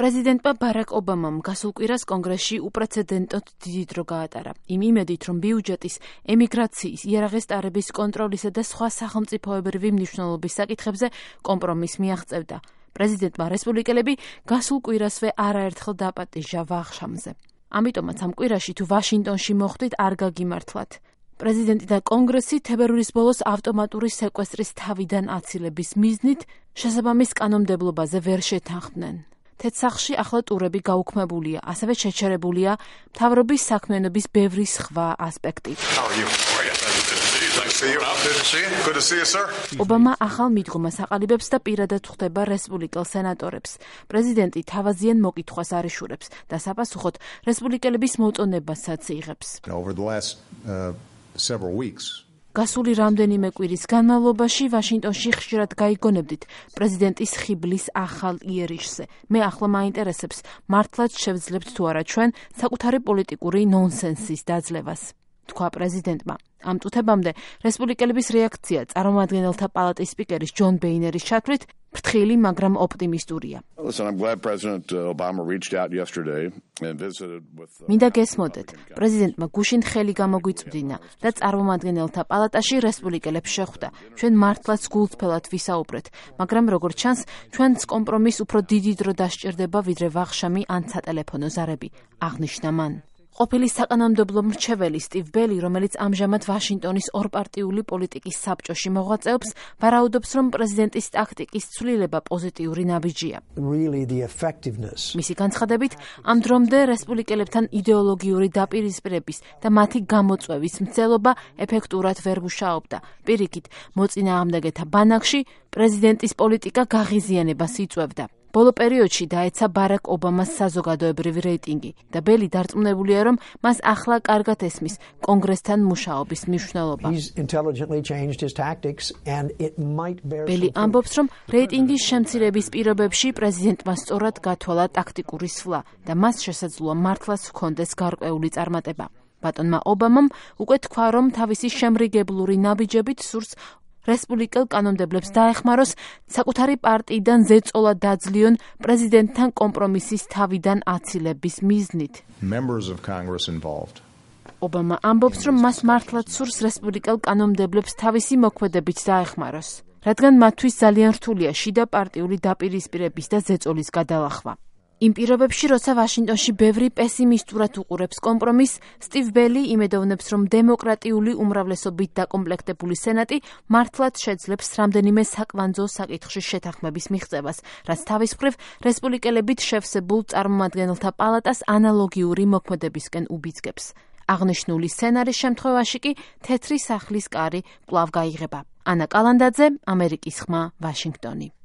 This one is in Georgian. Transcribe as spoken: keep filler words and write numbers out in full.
პრეზიდენტმა ბარაკ ობამამ გასულ კვირას კონგრესში უპრეცედენტოდ დიდი დრო გაატარა. იმ იმედით, რომ ბიუჯეტის, ემიგრაციის, იარაღის ტარების კონტროლისა და სხვა სახელმწიფოებრივი მნიშვნელობის საკითხებზე კომპრომისს მიაღწევდა. პრეზიდენტმა რესპუბლიკელები გასულ კვირასვე არაერთხელ დაპატიჟა ვახშამზე. ამიტომაც ამ კვირაში თუ ვაშინგტონში მოხვდით, არ გაგიმართლათ. პრეზიდენტი და კონგრესი თებერვლის ბოლოს ავტომატური სეკვესტრის თავიდან აცილების მიზნით შესაბამის კანონმდებლობაზე ვერ შეთანხმდნენ. თეთრ-სახლში ახლა ტურები გაუქმებულია, ასევე შეჩერებულია მთავრობის საქმიანობის ბევრი სხვა ასპექტი. ობამა ახალ მიდგომას აყალიბებს და პირადად ხვდება რესპუბლიკელ სენატორებს. პრეზიდენტი თავაზიან მოკითხვას არ იშურებს და საპასუხოდ რესპუბლიკელების მოწონებასაც იღებს. გასული რამდენიმე კვირის განმავლობაში ვაშინგტონში ხშირად გაიგონებდით პრეზიდენტის ხიბლის ახალ იერიშზე. მე ახლა მაინტერესებს, მართლაც შევძლებთ თუ არა ჩვენ საკუთარი პოლიტიკური ნონსენსის დაძლევას, თქვა პრეზიდენტმა. ამ წუთებამდე რესპუბლიკელების რეაქცია წარმომადგენელთა პალატის სპიკერის ჯონ ბეინერის ჩათვლით ფრთხილი, მაგრამ ოპტიმისტურია. მინდა გესმოდეთ, პრეზიდენტმა გუშინ ხელი გამოგვიწვდინა და წარმომადგენელთა პალატაში რესპუბლიკელებს შეხვდა. ჩვენ მართლაც გულწრფელად ვისაუბრეთ, მაგრამ როგორც ჩანს, ჩვენს კომპრომისს უფრო დიდი დრო დასჭირდება, ვიდრე ვახშამი ან სატელეფონო ზარები, აღნიშნა მან. ყოფილი საკანონმდებლო მრჩეველი სტივ ბელი, რომელიც ამჟამად ვაშინგტონის ორპარტიული პოლიტიკის საბჭოში მოღვაწეობს, ვარაუდობს, რომ პრეზიდენტის ტაქტიკის ცვლილება პოზიტიური ნაბიჯია. მისი განცხადებით, ამ დრომდე რესპუბლიკელებთან იდეოლოგიური დაპირისპირების და მათი გამოწვევის მცდელობა ეფექტურად ვერ მუშაობდა. პირიქით, მოწინააღმდეგეთა ბანაკში პრეზიდენტის პოლიტიკა გაღიზიანებას იწვევდა. ბოლო პერიოდში დაეცა ბარაკ ობამას საზოგადოებრივი რეიტინგი და ბელი დარწმუნებულია, რომ მას ახლა კარგად ესმის კონგრესთან მუშაობის მნიშვნელობა. ბელი ამბობს, რომ რეიტინგის შემცირების პირობებში პრეზიდენტმა სწორად გათვალა ტაქტიკური სვლა და მას შესაძლოა მართლაც ჰქონდეს გარკვეული წარმატება. ბატონმა ობამამ უკვე თქვა, რომ თავისი შემრიგებლური ნაბიჯებით სურს რესპუბლიკელ კანონმდებლებს დაეხმაროს საკუთარი პარტიიდან ზეწოლა დაძლიონ პრეზიდენტთან კომპრომისის თავიდან აცილების მიზნით. ობამა ამბობს, რომ მას მართლაც სურს რესპუბლიკელ კანონმდებლებს თავისი მოქმედებით დაეხმაროს, რადგან მათთვის ძალიან რთულია შიდა პარტიული დაპირისპირების და ზეწოლის გადალახვა. იმ პირობებში, როცა ვაშინგტონში ბევრი პესიმისტურად უყურებს კომპრომისს, სტივ ბელი იმედოვნებს, რომ დემოკრატიული უმრავლესობით დაკომპლექტებული სენატი მართლაც შეძლებს რამდენიმე საკვანძო საკითხში შეთანხმების მიღწევას, რაც თავის მხრივ რესპუბლიკელებით შევსებულ წარმომადგენელთა პალატას ანალოგიური მოქმედებისკენ უბიძგებს. აღნიშნული სცენარის შემთხვევაში კი თეთრი სახლის კარი კვლავ გაიღება. ანა კალანდაძე, ამერიკის ხმა, ვაშინგტონი.